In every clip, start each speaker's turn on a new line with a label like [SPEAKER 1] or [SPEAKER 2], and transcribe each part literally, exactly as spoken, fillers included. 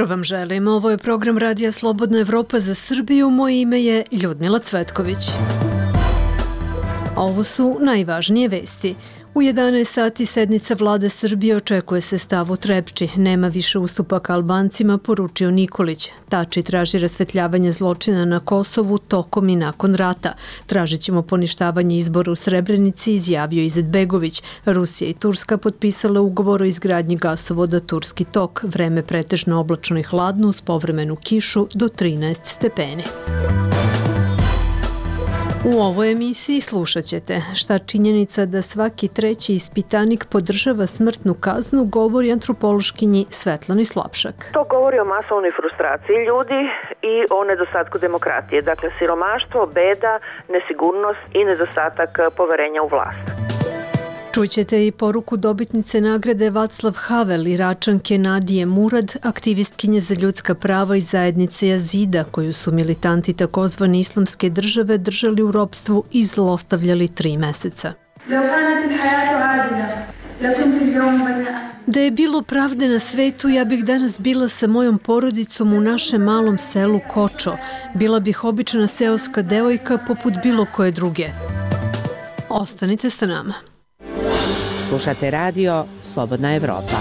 [SPEAKER 1] Dobro vam želim, ovo je program Radija Slobodna Evropa za Srbiju, moje ime je Ljudmila Cvetković. Ovo su najvažnije vesti. U jedanaest sati sednica vlade Srbije očekuje se stav u Trepči. Nema više ustupaka Albancima, poručio Nikolić. Tači traži rasvetljavanje zločina na Kosovu tokom i nakon rata. Tražit ćemo poništavanje izbora u Srebrenici, izjavio Izetbegović. Rusija i Turska potpisale ugovor o izgradnji gasovoda Turski tok. Vreme pretežno oblačno i hladno uz povremenu kišu do trinaest stepeni. U ovoj emisiji slušat ćete šta činjenica da svaki treći ispitanik podržava smrtnu kaznu govori antropološkinji Svetlani Slapšak.
[SPEAKER 2] To govori o masovnoj frustraciji ljudi i o nedostatku demokratije. Dakle, siromaštvo, beda, nesigurnost i nedostatak poverenja u vlast.
[SPEAKER 1] Čućete i poruku dobitnice nagrade Vaclav Havel, Iračanke Nadije Murad, aktivistkinje za ljudska prava i zajednice Jazida, koju su militanti takozvane islamske države držali u ropstvu i zlostavljali tri meseca. Da je bilo pravde na svetu, ja bih danas bila sa mojom porodicom u našem malom selu Kočo. Bila bih obična seoska devojka poput bilo koje druge. Ostanite sa nama.
[SPEAKER 3] Slušate radio Slobodna Evropa.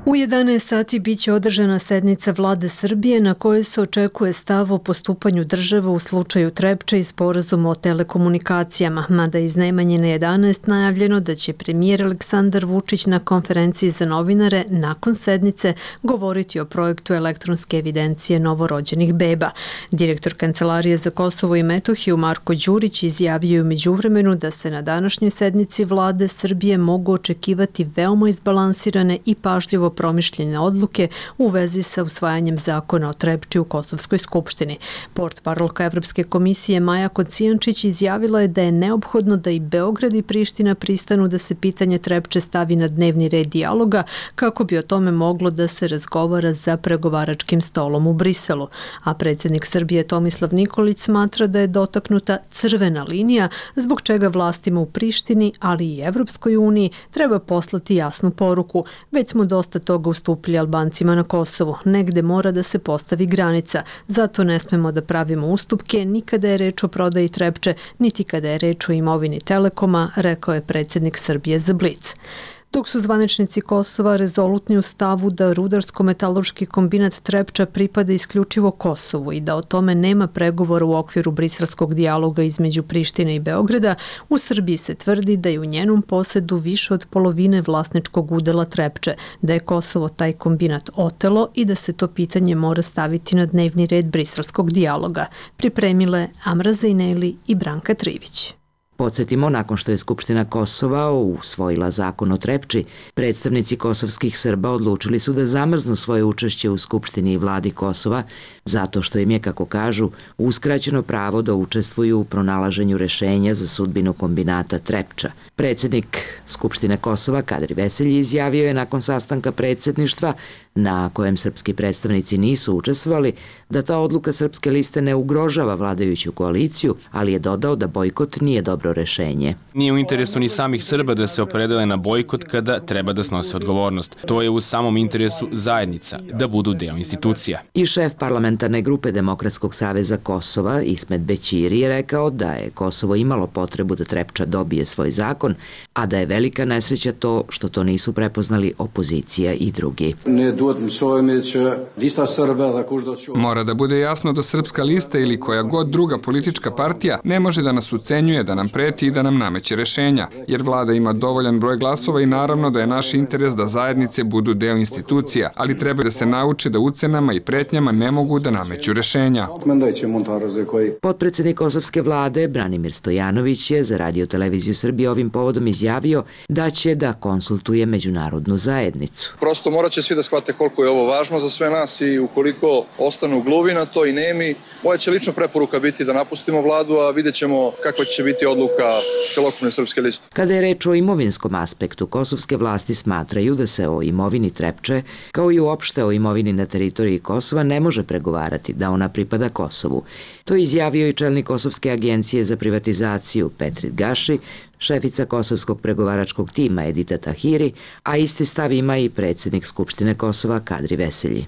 [SPEAKER 1] U jedanaest sati biće održana sednica vlade Srbije na kojoj se očekuje stav o postupanju države u slučaju Trepče i sporazuma o telekomunikacijama, mada iz najmanje na jedanaest najavljeno da će premijer Aleksandar Vučić na konferenciji za novinare nakon sednice govoriti o projektu elektronske evidencije novorođenih beba. Direktor Kancelarije za Kosovo i Metohiju Marko Đurić izjavio je u međuvremenu da se na današnjoj sednici vlade Srbije mogu očekivati veoma izbalansirane i pažljivo promišljene odluke u vezi sa usvajanjem zakona o Trepči u Kosovskoj skupštini. Portparolka Evropske komisije Maja Kocijančić izjavila je da je neophodno da i Beograd i Priština pristanu da se pitanje Trepče stavi na dnevni red dijaloga kako bi o tome moglo da se razgovara za pregovaračkim stolom u Briselu. A predsjednik Srbije Tomislav Nikolić smatra da je dotaknuta crvena linija zbog čega vlastima u Prištini, ali i Evropskoj uniji treba poslati jasnu poruku. Već smo dosta toga ustupili Albancima na Kosovu. Negde mora da se postavi granica. Zato ne smemo da pravimo ustupke ni kada je reč o prodaji Trepče, niti kada je reč o imovini Telekoma, rekao je predsjednik Srbije za Blic. Dok su zvaničnici Kosova rezolutni u stavu da rudarsko-metaloški kombinat Trepča pripada isključivo Kosovu i da o tome nema pregovora u okviru briselskog dijaloga između Prištine i Beograda, u Srbiji se tvrdi da je u njenom posedu više od polovine vlasničkog udela Trepče, da je Kosovo taj kombinat otelo i da se to pitanje mora staviti na dnevni red briselskog dijaloga. Pripremile Amra Zejneli i Branka Trivić.
[SPEAKER 3] Podsjetimo, nakon što je Skupština Kosova usvojila zakon o Trepči, predstavnici kosovskih Srba odlučili su da zamrznu svoje učešće u Skupštini i vladi Kosova, zato što im je, kako kažu, uskraćeno pravo da učestvuju u pronalaženju rešenja za sudbinu kombinata Trepča. Predsjednik Skupštine Kosova, Kadri Veselji, izjavio je nakon sastanka predsjedništva, na kojem srpski predstavnici nisu učestvovali, da ta odluka Srpske liste ne ugrožava vladajuću koaliciju, ali je dodao da bojkot nije dobro rešenje.
[SPEAKER 4] Nije u interesu ni samih Srba da se opredele na bojkot kada treba da snose odgovornost. To je u samom interesu zajednica, da budu deo institucija.
[SPEAKER 3] I šef parlamentarne grupe Demokratskog saveza Kosova, Ismet Bećiri, je rekao da je Kosovo imalo potrebu da Trepča dobije svoj zakon, a da je velika nesreća to što to nisu prepoznali opozicija i drugi.
[SPEAKER 5] Mora da bude jasno da Srpska lista ili koja god druga politička partija ne može da nas ucenjuje, da nam preti i da nam nameće rešenja, jer vlada ima dovoljan broj glasova i naravno da je naš interes da zajednice budu deo institucija, ali treba da se nauče da ucenama i pretnjama ne mogu da nameću rešenja.
[SPEAKER 3] Potpredsjednik kosovske vlade Branimir Stojanović je za Radio televiziju Srbije ovim povodom izjavio da će da konsultuje međunarodnu zajednicu.
[SPEAKER 6] Prosto morat će svi da shvate koliko je ovo važno za sve nas i ukoliko ostanu gluvi na to i nemi, moja će lično preporuka biti da napustimo vladu, a vidjet ćemo kakva će biti odluka celokupne Srpske liste.
[SPEAKER 3] Kada je reč o imovinskom aspektu, kosovske vlasti smatraju da se o imovini Trepče, kao i uopšte o imovini na teritoriji Kosova, ne može pregovarati, da ona pripada Kosovu. To je izjavio i čelnik Kosovske agencije za privatizaciju Petrit Gaši, šefica kosovskog pregovaračkog tima Edita Tahiri, a isti stav ima i predsjednik Skupštine Kosova Kadri Veselji.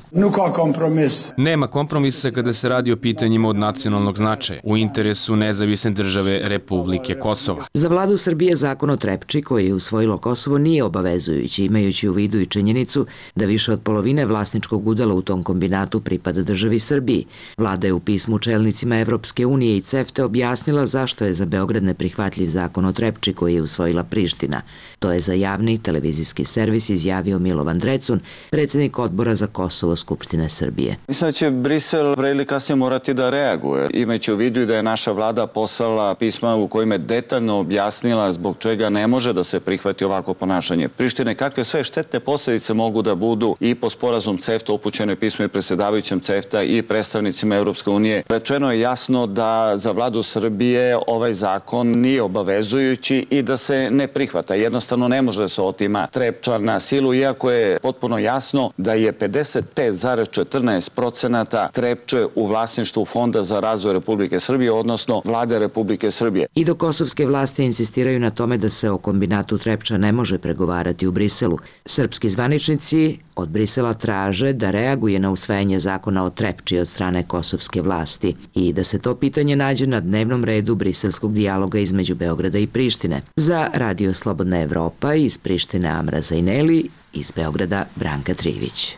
[SPEAKER 4] Nema kompromisa kada se radi o pitanjima od nacionalnog značaja u interesu nezavisne države Republike Kosova.
[SPEAKER 3] Za vladu Srbije zakon o Trepči koji je usvojilo Kosovo nije obavezujući, imajući u vidu i činjenicu da više od polovine vlasničkog udela u tom kombinatu pripada državi Srbiji. Vlada je u pismu čelnicima Evropske unije i CEFTA objasnila zašto je za Beograd neprihvatljiv zakon o Trepči koji je usvojila Priština. To je za javni televizijski servis izjavio Milovan Drecun, predsjednik odbora za Kosovo Skupštine Srbije.
[SPEAKER 7] Mislim da će Brisel pre ili kasnije morati da reaguje, imajući u vidu da je naša vlada poslala pisma u kojima je detaljno objasnila zbog čega ne može da se prihvati ovako ponašanje Prištine, kakve sve štetne posljedice mogu da budu i po sporazum CEFTA upućeno je pismo i predsjedavajućem CEFTA i predstavnicima Europske unije. Rečeno je jasno da za vladu Srbije ovaj zakon nije obavezujući i da se ne prihvata. Jednostavno ne može se otima Trepča na silu, iako je potpuno jasno da je pedeset pet zarez četrnaest procenata Trepče u vlasništvu Fonda za razvoj Republike Srbije, odnosno vlade Republike Srbije.
[SPEAKER 3] I dok kosovske vlasti insistiraju na tome da se o kombinatu Trepča ne može pregovarati u Briselu, srpski zvaničnici od Brisela traže da reaguje na usvajanje zakona o Trepči od strane kosovske vlasti i da se to pitanje nađe na dnevnom redu briselskog dijaloga između Beograda i Prištine. Za Radio Slobodna Evropa iz Prištine Amra Zajneli, iz Beograda Branka Trivić.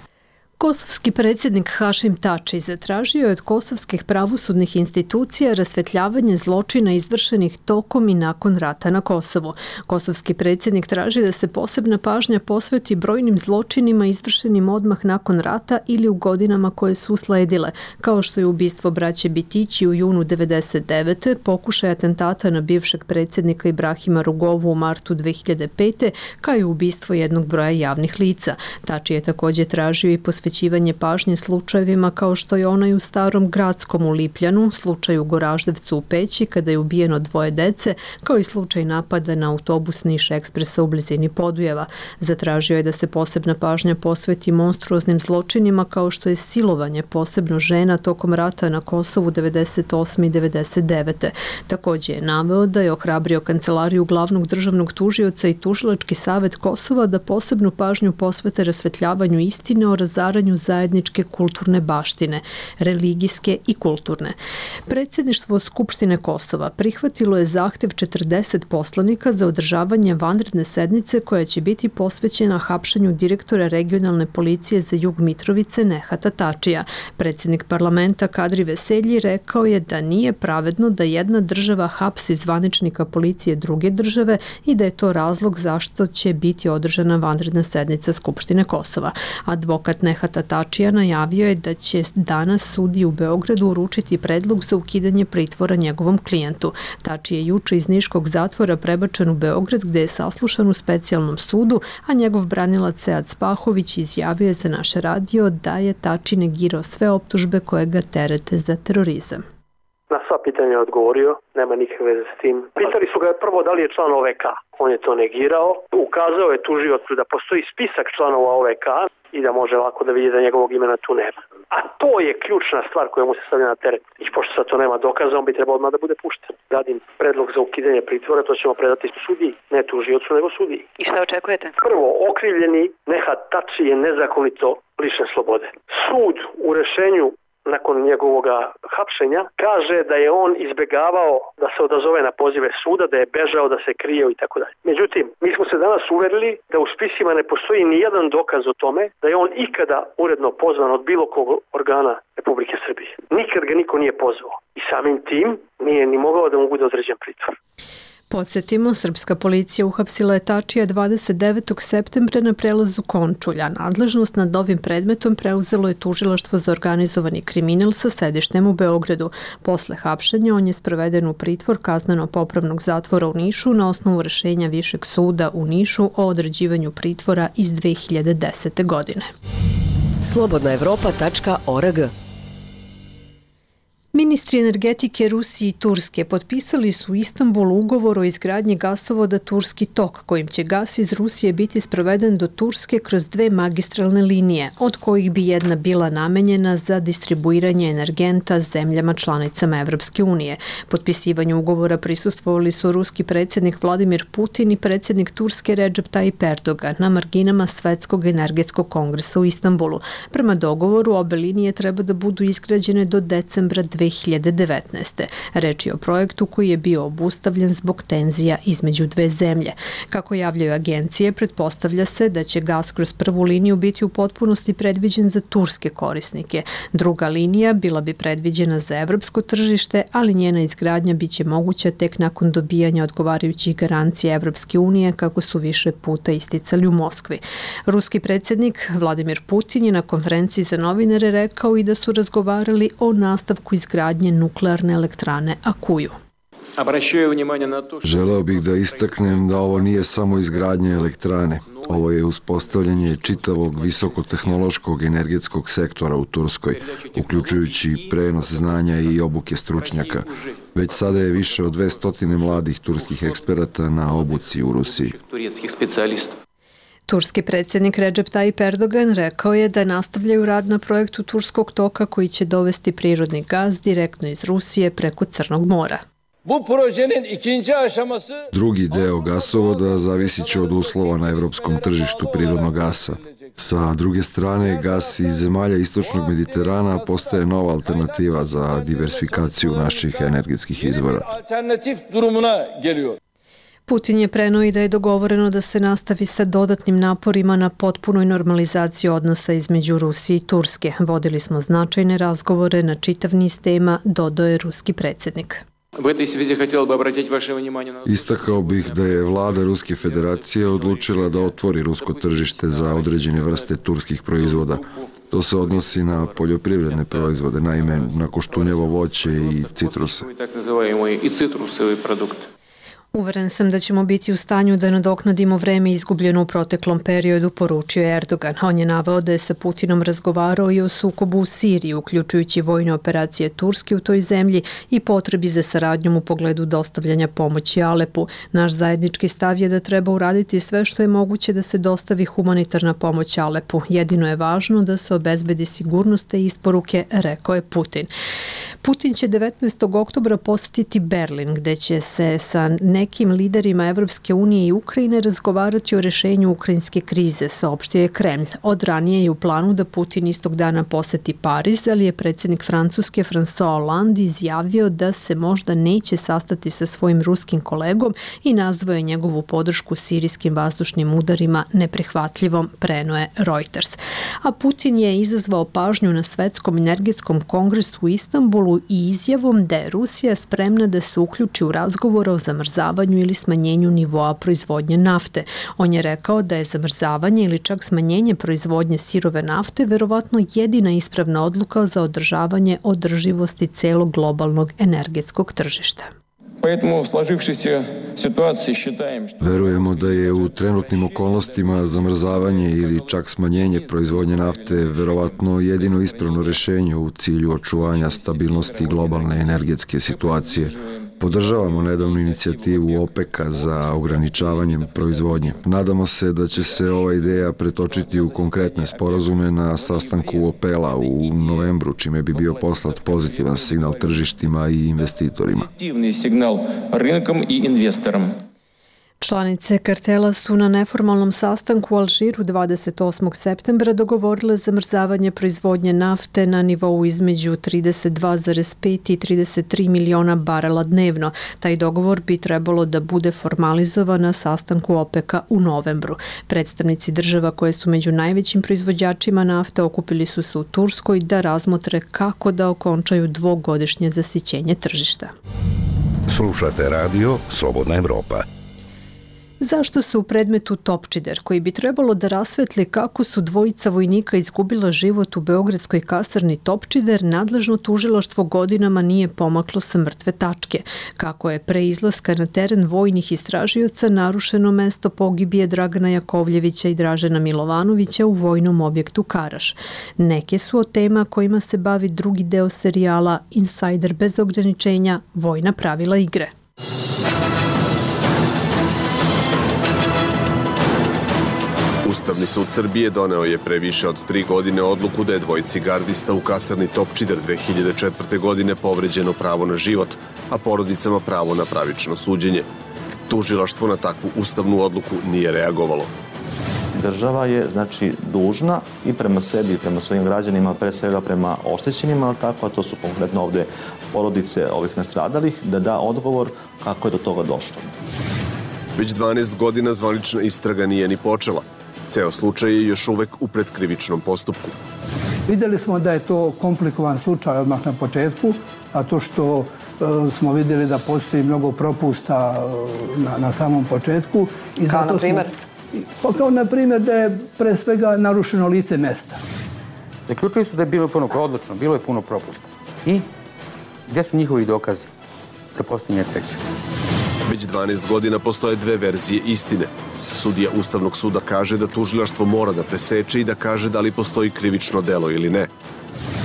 [SPEAKER 1] Kosovski predsjednik Hašim Tači zatražio je od kosovskih pravosudnih institucija rasvetljavanje zločina izvršenih tokom i nakon rata na Kosovu. Kosovski predsjednik traži da se posebna pažnja posveti brojnim zločinima izvršenim odmah nakon rata ili u godinama koje su usledile, kao što je ubistvo braće Bitići u junu devedeset devete, pokušaj atentata na bivšeg predsjednika Ibrahima Rugovu u martu dve hiljade pete, kao i ubistvo jednog broja javnih lica. Tači je također tražio i posvećivanje posvećivanje pažnje slučajevima kao što je onaj u Starom Gradskom u Lipljanu, slučaj u Goraždevcu u Peći kada je ubijeno dvoje dece, kao i slučaj napada na autobus Niš Ekspresa u blizini Podujeva. Zatražio je da se posebna pažnja posveti monstruoznim zločinima kao što je silovanje posebno žena tokom rata na Kosovu devedeset osme i devedeset devete. Također je naveo da je ohrabrio Kancelariju glavnog državnog tužioca i Tužilački savet Kosova da posebnu pažnju posvete rasvetljavanju istine o razaranju zajedničke kulturne baštine, religijske i kulturne. Predsjedništvo Skupštine Kosova prihvatilo je zahtev četrdeset poslanika za održavanje vanredne sednice koja će biti posvećena hapšenju direktora regionalne policije za jug Mitrovice Nehata Tačija. Predsjednik parlamenta Kadri Veselji rekao je da nije pravedno da jedna država hapsi zvaničnika policije druge države i da je to razlog zašto će biti održana vanredna sednica Skupštine Kosova. Advokat Nehata Tačija najavio je da će danas sudiji u Beogradu uručiti predlog za ukidanje pritvora njegovom klijentu. Tači je juče iz niškog zatvora prebačen u Beograd gde je saslušan u specijalnom sudu, a njegov branilac Sead Spahović izjavio je za naš radio da je Tači negirao sve optužbe koje ga terete za terorizam.
[SPEAKER 8] Na sva pitanja je odgovorio, nema nikakve veze s tim. Pitali su ga prvo da li je član O V K. On je to negirao. Ukazao je tužiocu da postoji spisak članova O V K i da može lako da vidi da njegovog imena tu nema. A to je ključna stvar koja mu se stavlja na teret. I pošto sad to nema dokaza, on bi trebao odmah da bude pušten. Radim predlog za ukidanje pritvora, to ćemo predati sudiji, ne tužiocu nego sudiji.
[SPEAKER 9] I šta očekujete?
[SPEAKER 8] Prvo, okrivljeni Nehat Tači je nezakonito lišen slobode. Sud u rešenju nakon njegovoga hapšenja kaže da je on izbegavao da se odazove na pozive suda, da je bežao, da se krijeo i tako dalje. Međutim, mi smo se danas uverili da u spisima ne postoji ni jedan dokaz o tome da je on ikada uredno pozvan od bilo kog organa Republike Srbije. Nikad ga niko nije pozvao i samim tim nije ni mogao da mu bude određen pritvor.
[SPEAKER 1] Podsjetimo, srpska policija uhapsila je Tačija dvadeset devetog septembra na prelazu Končulja. Nadležnost nad ovim predmetom preuzelo je tužilaštvo za organizovani kriminal sa sedištem u Beogradu. Posle hapšenja on je sproveden u pritvor kazneno-popravnog zatvora u Nišu na osnovu rešenja Višeg suda u Nišu o određivanju pritvora iz dve hiljade desete. godine.
[SPEAKER 10] slobodna evropa tačka org
[SPEAKER 1] Ministri energetike Rusije i Turske potpisali su u Istanbulu ugovor o izgradnji gasovoda Turski tok, kojim će gas iz Rusije biti sproveden do Turske kroz dve magistralne linije, od kojih bi jedna bila namenjena za distribuiranje energenta zemljama članicama Evropske unije. Potpisivanju ugovora prisustvovali su ruski predsjednik Vladimir Putin i predsjednik Turske Recep Tayyip Erdogan na marginama Svetskog energetskog kongresa u Istanbulu. Prema dogovoru, obe linije treba da budu izgrađene do decembra dve hiljade devetnaeste. Reč je o projektu koji je bio obustavljen zbog tenzija između dve zemlje. Kako javljaju agencije, pretpostavlja se da će gas kroz prvu liniju biti u potpunosti predviđen za turske korisnike. Druga linija bila bi predviđena za evropsko tržište, ali njena izgradnja biće moguća tek nakon dobijanja odgovarajućih garancija Evropske unije, kako su više puta isticali u Moskvi. Ruski predsjednik Vladimir Putin je na konferenciji za novinare rekao i da su razgovarali o nastavku izgradnje nuklearne elektrane Akuju.
[SPEAKER 9] Želeo bih da istaknem da ovo nije samo izgradnja elektrane. Ovo je uspostavljanje čitavog visokotehnološkog energetskog sektora u Turskoj, uključujući prenos znanja i obuke stručnjaka. Već sada je više od dvesta mladih turskih eksperata na obuci u Rusiji.
[SPEAKER 1] Turski predsjednik Recep Tayyip Erdogan rekao je da nastavljaju rad na projektu Turskog toka koji će dovesti prirodni gaz direktno iz Rusije preko Crnog mora.
[SPEAKER 9] Drugi deo gasovoda zavisit će od uslova na evropskom tržištu prirodnog gasa. Sa druge strane, gas iz zemalja istočnog Mediterana postaje nova alternativa za diversifikaciju naših energetskih izvora.
[SPEAKER 1] Putin je preneo i da je dogovoreno da se nastavi sa dodatnim naporima na potpunoj normalizaciji odnosa između Rusije i Turske. Vodili smo značajne razgovore na čitav niz tema, dodao je ruski predsjednik.
[SPEAKER 9] Istakao bih da je vlada Ruske federacije odlučila da otvori rusko tržište za određene vrste turskih proizvoda. To se odnosi na poljoprivredne proizvode, naime na koštunjevo voće i citruse.
[SPEAKER 1] Uveren sam da ćemo biti u stanju da nadoknadimo vreme izgubljeno u proteklom periodu, poručio je Erdogan. On je naveo da je sa Putinom razgovarao i o sukobu u Siriji, uključujući vojne operacije Turske u toj zemlji i potrebi za saradnjom u pogledu dostavljanja pomoći Alepu. Naš zajednički stav je da treba uraditi sve što je moguće da se dostavi humanitarna pomoć Alepu. Jedino je važno da se obezbedi sigurnost te isporuke, rekao je Putin. Putin će devetnaestog oktobra posetiti Berlin, gde će se sa nekim liderima Evropske unije i Ukrajine razgovarati o rešenju ukrajinske krize, saopštio je Kremlj. Od ranije je u planu da Putin istog dana poseti Pariz, ali je predsjednik Francuske François Hollande izjavio da se možda neće sastati sa svojim ruskim kolegom i nazvao je njegovu podršku sirijskim vazdušnim udarima neprihvatljivom, preneo je Reuters. A Putin je izazvao pažnju na Svetskom energetskom kongresu u Istanbulu i izjavom da je Rusija spremna da se uključi u razgovor o zamrzavanju ili smanjenju nivoa proizvodnje nafte. On je rekao da je zamrzavanje ili čak smanjenje proizvodnje sirove nafte verovatno jedina ispravna odluka za održavanje održivosti celog globalnog energetskog tržišta.
[SPEAKER 9] Verujemo da je u trenutnim okolnostima zamrzavanje ili čak smanjenje proizvodnje nafte verovatno jedino ispravno rešenje u cilju očuvanja stabilnosti globalne energetske situacije. Podržavamo nedavnu inicijativu OPEC-a za ograničavanjem proizvodnje. Nadamo se da će se ova ideja pretočiti u konkretne sporazume na sastanku OPEC-a u novembru, čime bi bio poslat pozitivan signal tržištima i investitorima.
[SPEAKER 1] Članice kartela su na neformalnom sastanku u Alžiru dvadeset osmog septembra dogovorile zamrzavanje proizvodnje nafte na nivou između trideset dva zarez pet i trideset tri miliona barela dnevno. Taj dogovor bi trebalo da bude formalizovan na sastanku OPEC-a u novembru. Predstavnici država koje su među najvećim proizvođačima nafte okupili su se u Turskoj da razmotre kako da okončaju dvogodišnje zasićenje tržišta.
[SPEAKER 10] Slušate radio Slobodna Evropa.
[SPEAKER 1] Zašto se u predmetu Topčider, koji bi trebalo da rasvetli kako su dvojica vojnika izgubila život u beogradskoj kasarni Topčider, nadležno tužilaštvo godinama nije pomaklo sa mrtve tačke? Kako je pre izlaska na teren vojnih istražioca narušeno mesto pogibije Dragana Jakovljevića i Dražena Milovanovića u vojnom objektu Karaš? Neke su od tema kojima se bavi drugi deo serijala Insajder bez ograničenja, vojna pravila igre.
[SPEAKER 10] Ustavni sud Srbije doneo je pre više od tri godine odluku da je dvojici gardista u kasarni Topčider dve hiljade četvrte. godine povređeno pravo na život, a porodicama pravo na pravično suđenje. Tužilaštvo na takvu ustavnu odluku nije reagovalo.
[SPEAKER 11] Država je, znači, dužna i prema sebi i prema svojim građanima, pre svega prema oštećenima, ali tako, a to su konkretno ovde porodice ovih nastradalih, da da odgovor kako je do toga došlo.
[SPEAKER 10] Već dvanaest godina zvanična istraga nije ni počela. Ceo slučaj je još uvek u predkrivičnom postupku.
[SPEAKER 12] Videli smo da je to komplikovan slučaj odmah na početku, a to što e, smo videli da postoji mnogo propusta e, na, na samom početku. I
[SPEAKER 13] kao na primjer?
[SPEAKER 12] Smo, kao na primjer da je pre svega narušeno lice mesta.
[SPEAKER 13] Zaključili su da je bilo puno odlično, bilo je puno propusta. I gdje su njihovi dokazi za postojanje treće?
[SPEAKER 10] Već dvanaest godina postoje dve verzije istine. Sudija Ustavnog suda kaže da tužilaštvo mora da preseče i da kaže da li postoji krivično delo ili ne.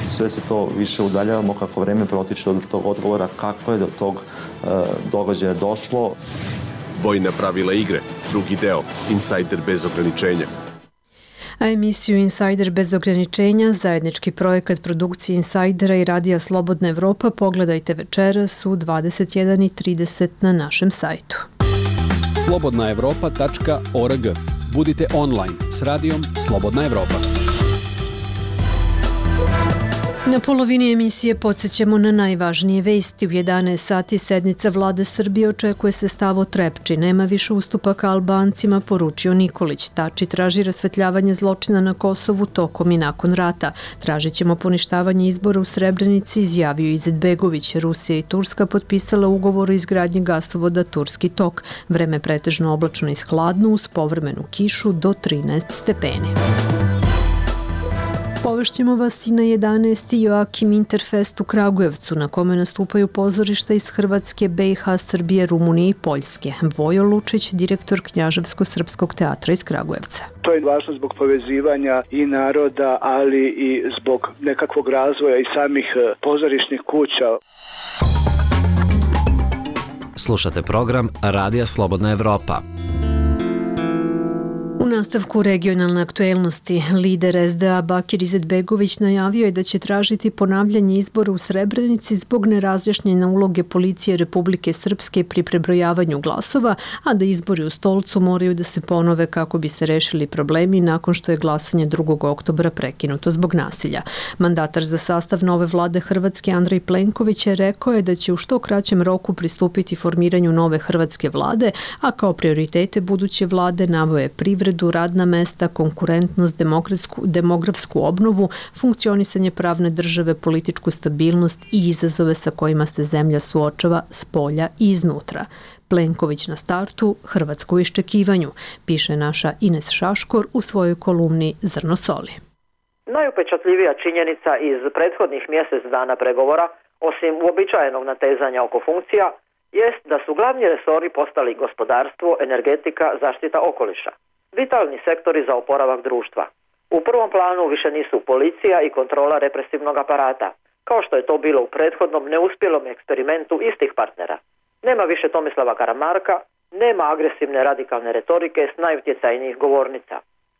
[SPEAKER 11] Sve se to više udaljavamo kako vreme protiče od tog odgovora kako je do tog e, događaja došlo.
[SPEAKER 10] Vojna pravila igre, drugi deo, Insajder bez ograničenja.
[SPEAKER 1] A emisiju Insajder bez ograničenja, zajednički projekat produkcije Insajdera i Radija Slobodna Evropa, pogledajte večeras u dvadeset jedan i trideset na našem sajtu.
[SPEAKER 14] slobodna evropa tačka org. Budite online s radijom Slobodna Evropa.
[SPEAKER 1] Na polovini emisije podsjećamo na najvažnije vesti. U jedanaest sati sednica Vlade Srbije, očekuje se stav o Trepči. Nema više ustupaka Albancima, poručio Nikolić. Tači traži rasvetljavanje zločina na Kosovu tokom i nakon rata. Tražit ćemo poništavanje izbora u Srebrenici, izjavio Izetbegović. Rusija i Turska potpisala ugovor o izgradnji gasovoda Turski tok. Vreme pretežno oblačno i hladno uz povremenu kišu do trinaest stepeni. Povešćemo vas i na jedanaesti Joakim Interfest u Kragujevcu, na kome nastupaju pozorišta iz Hrvatske, B i H, Srbije, Rumunije i Poljske. Vojo Lučić, direktor Knjaževsko-srpskog teatra iz Kragujevca.
[SPEAKER 15] To je važno zbog povezivanja i naroda, ali i zbog nekakvog razvoja i samih pozorišnih kuća.
[SPEAKER 16] Slušate program Radija Slobodna Evropa.
[SPEAKER 1] U nastavku regionalne aktuelnosti, lider S D A Bakir Izetbegović najavio je da će tražiti ponavljanje izbora u Srebrenici zbog nerazjašnjene uloge policije Republike Srpske pri prebrojavanju glasova, a da izbori u Stolcu moraju da se ponove kako bi se rešili problemi nakon što je glasanje drugog oktobra prekinuto zbog nasilja. Mandatar za sastav nove vlade Hrvatske Andrej Plenković je rekao je da će u što kraćem roku pristupiti formiranju nove hrvatske vlade, a kao prioritete buduće vlade naveo je privredu, radna mesta, konkurentnost, demokratsku, demografsku obnovu, funkcionisanje pravne države, političku stabilnost i izazove sa kojima se zemlja suočava s polja i iznutra. Plenković na startu, Hrvatsko u iščekivanju, piše naša Ines Šaškor u svojoj kolumni Zrno soli.
[SPEAKER 17] Najupečatljivija činjenica iz prethodnih mjesec dana pregovora, osim uobičajenog natezanja oko funkcija, jest da su glavni resori postali gospodarstvo, energetika, zaštita okoliša. Vitalni sektori za oporavak društva. U prvom planu više nisu policija i kontrola represivnog aparata, kao što je to bilo u prethodnom neuspjelom eksperimentu istih partnera. Nema više Tomislava Karamarka, nema agresivne radikalne retorike s najutjecajnijih govornica.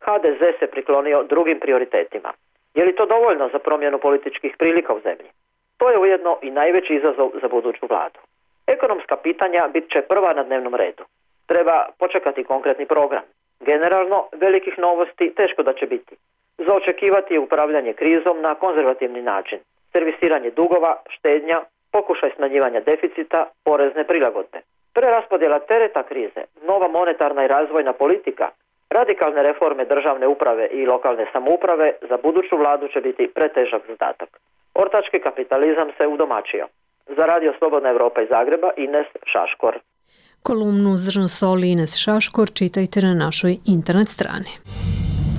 [SPEAKER 17] H D Z se priklonio drugim prioritetima. Je li to dovoljno za promjenu političkih prilika u zemlji? To je ujedno i najveći izazov za buduću vladu. Ekonomska pitanja bit će prva na dnevnom redu. Treba počekati konkretni program. Generalno, velikih novosti teško da će biti. Za očekivati je upravljanje krizom na konzervativni način, servisiranje dugova, štednja, pokušaj smanjivanja deficita, porezne prilagodbe. Preraspodjela tereta krize, nova monetarna i razvojna politika, radikalne reforme državne uprave i lokalne samouprave za buduću vladu će biti pretežak zadatak. Ortački kapitalizam se udomačio. Za Radio Slobodna Evropa iz Zagreba, Ines Šaškor.
[SPEAKER 1] Kolumnu Zrno soli Ines Šaškor čitajte na našoj internet strani.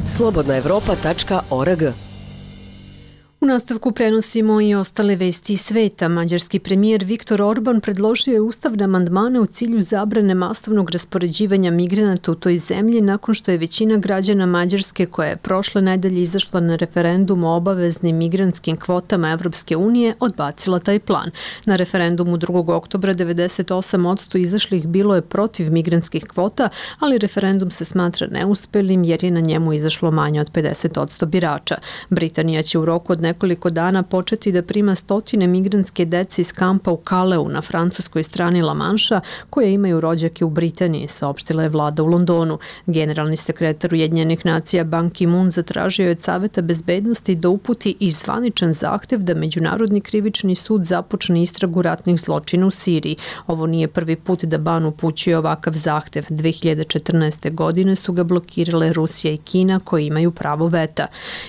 [SPEAKER 18] slobodna evropa tačka org.
[SPEAKER 1] U nastavku prenosimo i ostale vesti iz sveta. Mađarski premijer Viktor Orban predložio je ustavne amandmane u cilju zabrane masovnog raspoređivanja migranata u toj zemlji nakon što je većina građana Mađarske, koja je prošle nedelje izašla na referendum o obaveznim migrantskim kvotama Evropske unije, odbacila taj plan. Na referendumu drugog oktobra devedeset osam posto izašlih bilo je protiv migrantskih kvota, ali referendum se smatra neuspelim jer je na njemu izašlo manje od pedeset posto birača. Britanija će u roku od nekoliko dana početi da prima stotine migrantske dece iz kampa u Kaleu na francuskoj strani La Manša, koje imaju rođake u Britaniji, saopštila je vlada u Londonu. Generalni sekretar Ujedinjenih nacija Ban Ki-moon zatražio je od Saveta bezbednosti da uputi i zvaničan zahtev da Međunarodni krivični sud započne istragu ratnih zločina u Siriji. Ovo nije prvi put da Ban upućuje ovakav zahtev. dve hiljade četrnaeste. godine su ga blokirale Rusija i Kina, koji imaju pravo veta.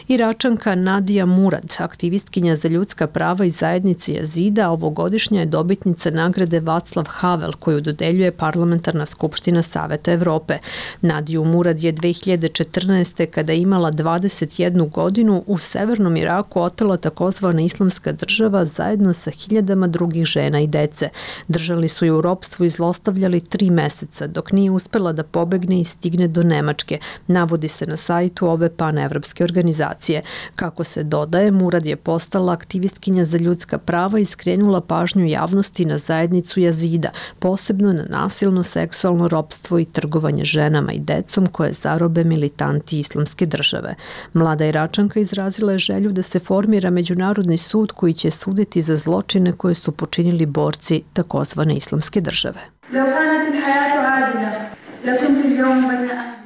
[SPEAKER 1] Iračanka Nadija Murad, aktivistkinja za ljudska prava i zajednice Jazida, ovogodišnja je dobitnica nagrade Václav Havel, koju dodeljuje Parlamentarna skupština Saveta Evrope. Nadiju Murad je dve hiljade četrnaeste. kada je imala dvadeset jednu godinu u severnom Iraku otela takozvana Islamska država zajedno sa hiljadama drugih žena i dece. Držali su je u ropstvu i zlostavljali tri meseca, dok nije uspela da pobegne i stigne do Nemačke, navodi se na sajtu ove panevropske organizacije. Kako se dodaje, Murad je postala aktivistkinja za ljudska prava i skrenula pažnju javnosti na zajednicu Jazida, posebno na nasilno seksualno ropstvo i trgovanje ženama i decom koje zarobe militanti Islamske države. Mlada Iračanka izrazila je želju da se formira međunarodni sud koji će suditi za zločine koje su počinili borci takozvane Islamske države.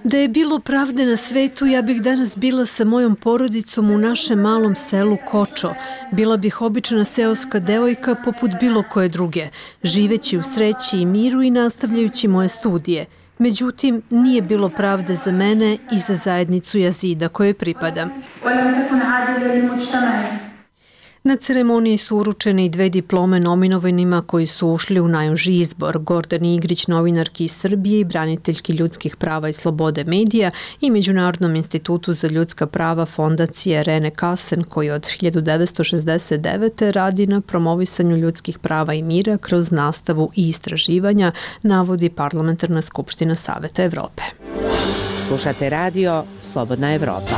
[SPEAKER 1] Da je bilo pravde na svetu, ja bih danas bila sa mojom porodicom u našem malom selu Kočo. Bila bih obična seoska devojka poput bilo koje druge, živeći u sreći i miru i nastavljajući moje studije. Međutim, nije bilo pravde za mene i za zajednicu Jazida kojoj pripadam. Na ceremoniji su uručene i dve diplome nominovanima koji su ušli u najuži izbor: Gordani Igrić, novinarki iz Srbije i braniteljki ljudskih prava i slobode medija, i Međunarodnom institutu za ljudska prava fondacije Rene Kassen, koji od hiljadu devetsto šezdeset devete. radi na promovisanju ljudskih prava i mira kroz nastavu i istraživanja, navodi Parlamentarna skupština Saveta Evrope.
[SPEAKER 18] Slušate radio Slobodna Evropa.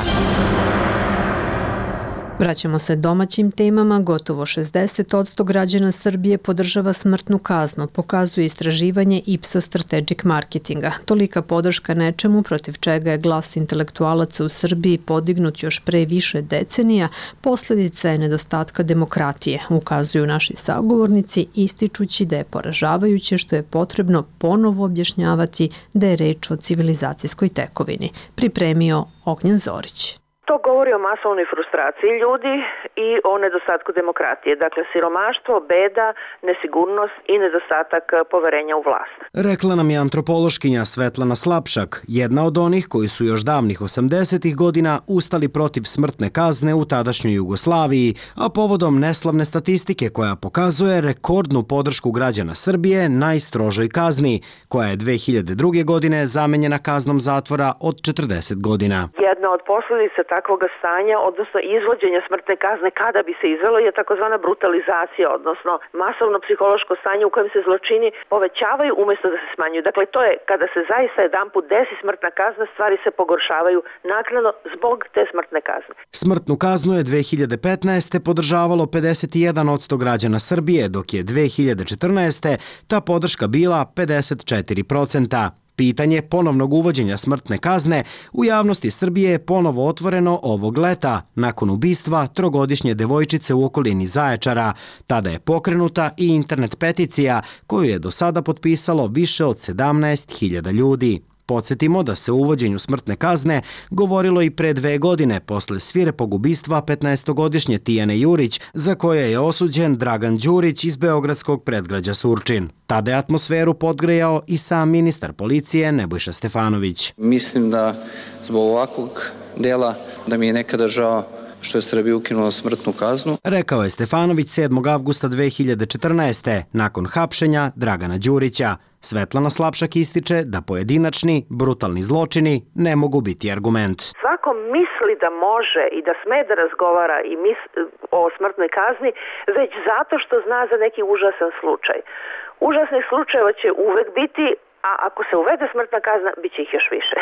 [SPEAKER 1] Vraćamo se domaćim temama. Gotovo šezdeset posto građana Srbije podržava smrtnu kaznu, pokazuje istraživanje Ipsos Strategic Marketinga. Tolika podrška nečemu protiv čega je glas intelektualaca u Srbiji podignut još pre više decenija, posljedica je nedostatka demokratije, ukazuju naši sagovornici, ističući da je poražavajuće što je potrebno ponovo objašnjavati da je reč o civilizacijskoj tekovini. Pripremio Ognjen Zorić.
[SPEAKER 2] To govori o masovnoj frustraciji ljudi i o nedostatku demokratije. Dakle, siromaštvo, beda, nesigurnost i nedostatak poverenja u vlast.
[SPEAKER 19] Rekla nam je antropološkinja Svetlana Slapšak, jedna od onih koji su još davnih osamdesetih godina ustali protiv smrtne kazne u tadašnjoj Jugoslaviji, a povodom neslavne statistike koja pokazuje rekordnu podršku građana Srbije najstrožoj kazni, koja je dve hiljade druge. godine zamenjena kaznom zatvora od četrdeset godina.
[SPEAKER 2] Jedna od posljedica takvog stanja, odnosno izvođenja smrtne kazne kada bi se izvelo, je takozvana brutalizacija, odnosno masovno psihološko stanje u kojem se zločini povećavaju umjesto da se smanjuju. Dakle, to je kada se zaista jedanput desi smrtna kazna, stvari se pogoršavaju naknadno zbog te smrtne kazne.
[SPEAKER 19] Smrtnu kaznu je dve hiljade petnaeste. podržavalo pedeset jedan posto građana Srbije, dok je dve hiljade četrnaeste. ta podrška bila pedeset četiri posto. Pitanje ponovnog uvođenja smrtne kazne u javnosti Srbije je ponovo otvoreno ovog leta, nakon ubistva trogodišnje devojčice u okolini Zaječara. Tada je pokrenuta i internet peticija koju je do sada potpisalo više od sedamnaest hiljada ljudi. Podsjetimo da se o uvođenju smrtne kazne govorilo i pre dve godine posle svirepog ubistva petnaestogodišnje Tijane Jurić, za koje je osuđen Dragan Đurić iz beogradskog predgrađa Surčin. Tada je atmosferu podgrejao i sam ministar policije Nebojša Stefanović.
[SPEAKER 20] Mislim da zbog ovakvog dela da mi je nekada žao što je Srbija ukinula smrtnu kaznu.
[SPEAKER 19] Rekao je Stefanović sedmog avgusta dve hiljade četrnaeste. nakon hapšenja Dragana Đurića. Svetlana Slapšak ističe da pojedinačni, brutalni zločini ne mogu biti argument.
[SPEAKER 2] Svako misli da može i da sme da razgovara i mis, o smrtnoj kazni već zato što zna za neki užasan slučaj. Užasnih slučajeva će uvek biti, a ako se uvede smrtna kazna, bit će ih još više.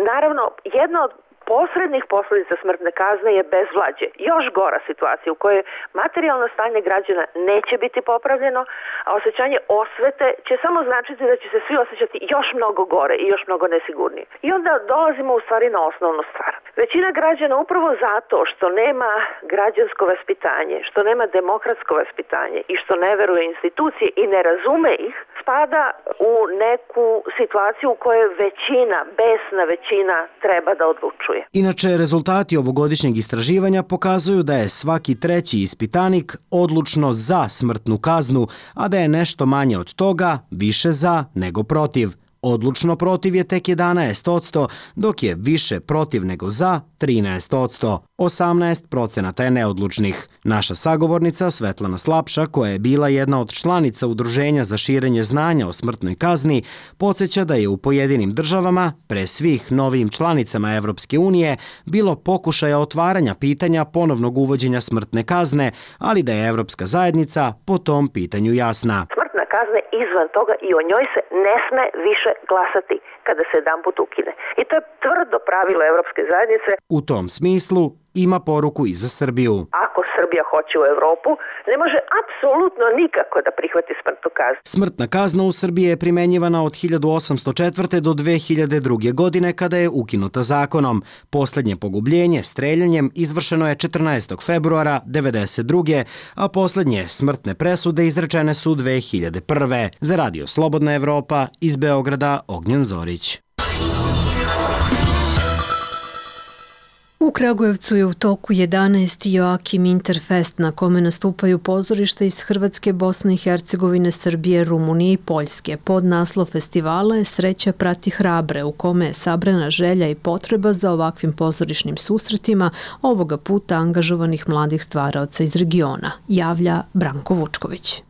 [SPEAKER 2] Naravno, jedna od posrednih posledica smrtne kazne je bezvlađe. Još gora situacija u kojoj materijalno stanje građana neće biti popravljeno, a osjećanje osvete će samo značiti da će se svi osjećati još mnogo gore i još mnogo nesigurnije. I onda dolazimo u stvari na osnovnu stvar. Većina građana upravo zato što nema građansko vaspitanje, što nema demokratsko vaspitanje i što ne veruje institucije i ne razume ih, spada u neku situaciju u kojoj većina, besna većina treba da odlučuje.
[SPEAKER 19] Inače, rezultati ovogodišnjeg istraživanja pokazuju da je svaki treći ispitanik odlučno za smrtnu kaznu, a da je nešto manje od toga više za nego protiv. Odlučno protiv je tek jedanaest posto, dok je više protiv nego za trinaest posto. osamnaest procenata je neodlučnih. Naša sagovornica Svetlana Slapša, koja je bila jedna od članica Udruženja za širenje znanja o smrtnoj kazni, podsjeća da je u pojedinim državama, pre svih novijim članicama Evropske unije, bilo pokušaja otvaranja pitanja ponovnog uvođenja smrtne kazne, ali da je Evropska zajednica po tom pitanju jasna.
[SPEAKER 2] Smrtna kazna je izvan toga i o njoj se ne sme više glasati kada se jedanput ukine. I to je tvrdo pravilo Evropske zajednice.
[SPEAKER 19] U tom smislu ima poruku i za Srbiju.
[SPEAKER 2] Ako Srbija hoće u Evropu, ne može apsolutno nikako da prihvati smrtnu kaznu.
[SPEAKER 19] Smrtna kazna u Srbiji je primenjivana od hiljadu osamsto četvrte. do dve hiljade druge. godine kada je ukinuta zakonom. Poslednje pogubljenje streljanjem izvršeno je četrnaestog februara devedeset druge. a poslednje smrtne presude izrečene su dve hiljade prve. Za Radio Slobodna Evropa iz Beograda Ognjen Zorić.
[SPEAKER 1] U Kragujevcu je u toku jedanaesti Joakim Interfest na kome nastupaju pozorišta iz Hrvatske, Bosne i Hercegovine, Srbije, Rumunije i Poljske. Pod naslov festivala je Sreća prati hrabre, u kome je sabrana želja i potreba za ovakvim pozorišnim susretima, ovoga puta angažovanih mladih stvaraoca iz regiona, javlja Branko Vučković.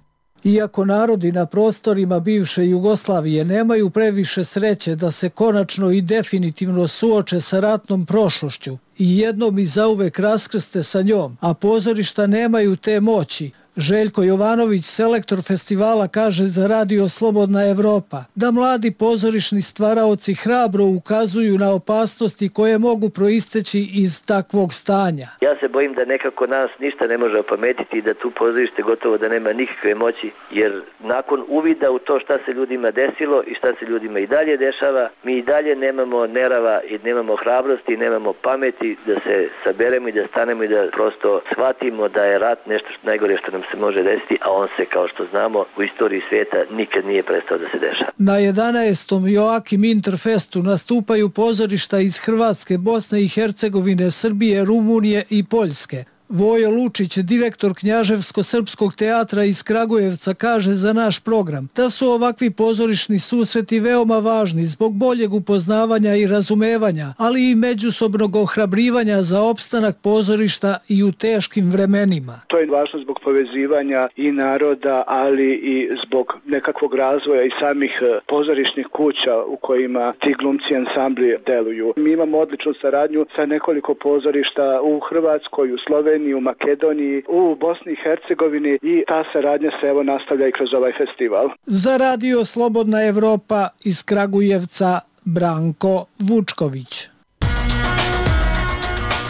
[SPEAKER 21] Iako narodi na prostorima bivše Jugoslavije nemaju previše sreće da se konačno i definitivno suoče sa ratnom prošlošću i jednom i zauvek raskrste sa njom, a pozorišta nemaju te moći, Željko Jovanović, selektor festivala, kaže za Radio Slobodna Evropa da mladi pozorišni stvaraoci hrabro ukazuju na opasnosti koje mogu proisteći iz takvog stanja.
[SPEAKER 22] Ja se bojim da nekako nas ništa ne može opametiti i da tu pozorište gotovo da nema nikakve moći, jer nakon uvida u to šta se ljudima desilo i šta se ljudima i dalje dešava, mi i dalje nemamo nerava i nemamo hrabrosti i nemamo pameti da se saberemo i da stanemo i da prosto shvatimo da je rat nešto što najgore što nam se može desiti, a on se, kao što znamo, u istoriji svijeta nikad nije prestao da se dešava.
[SPEAKER 21] Na jedanaestom Joakim Interfestu nastupaju pozorišta iz Hrvatske, Bosne i Hercegovine, Srbije, Rumunije i Poljske. Vojo Lučić, direktor Knjaževsko-srpskog teatra iz Kragujevca, kaže za naš program da su ovakvi pozorišni susreti veoma važni zbog boljeg upoznavanja i razumevanja, ali i međusobnog ohrabrivanja za opstanak pozorišta i u teškim vremenima.
[SPEAKER 15] To je važno zbog povezivanja i naroda, ali i zbog nekakvog razvoja i samih pozorišnih kuća u kojima ti glumci ansambli deluju. Mi imamo odličnu saradnju sa nekoliko pozorišta u Hrvatskoj, u Sloveniji, u Makedoniji, u Bosni i Hercegovini i ta saradnja se evo nastavlja i kroz ovaj festival.
[SPEAKER 21] Za Radio Slobodna Evropa iz Kragujevca, Branko Vučković.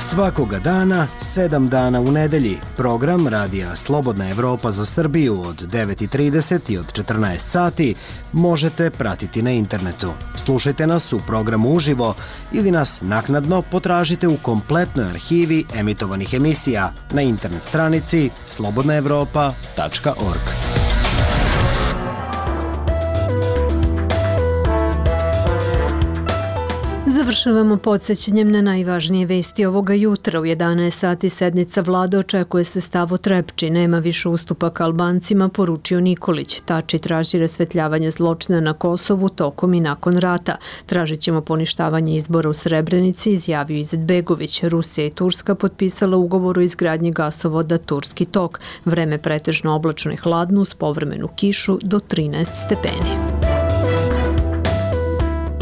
[SPEAKER 19] Svakoga dana, sedam dana u nedelji, program Radija Slobodna Evropa za Srbiju od devet i trideset i od četrnaest sati možete pratiti na internetu. Slušajte nas u programu uživo ili nas naknadno potražite u kompletnoj arhivi emitovanih emisija na internet stranici slobodna evropa tačka org.
[SPEAKER 1] Završavamo podsjećanjem na najvažnije vesti ovoga jutra. U jedanaest sati sednica vlade, očekuje se stav o Trepči. Nema više ustupaka Albancima, poručio Nikolić. Tači traži rasvetljavanje zločina na Kosovu tokom i nakon rata. Tražit ćemo poništavanje izbora u Srebrenici, izjavio Izetbegović. Rusija i Turska potpisala ugovor o izgradnji gasovoda Turski tok. Vreme pretežno oblačno i hladno uz povremenu kišu do trinaest stepeni.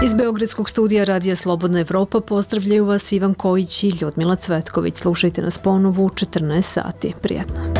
[SPEAKER 1] Iz Beogradskog studija Radija Slobodna Evropa pozdravljaju vas Ivan Kojić i Ljudmila Cvetković. Slušajte nas ponovo u četrnaest sati. Prijetno.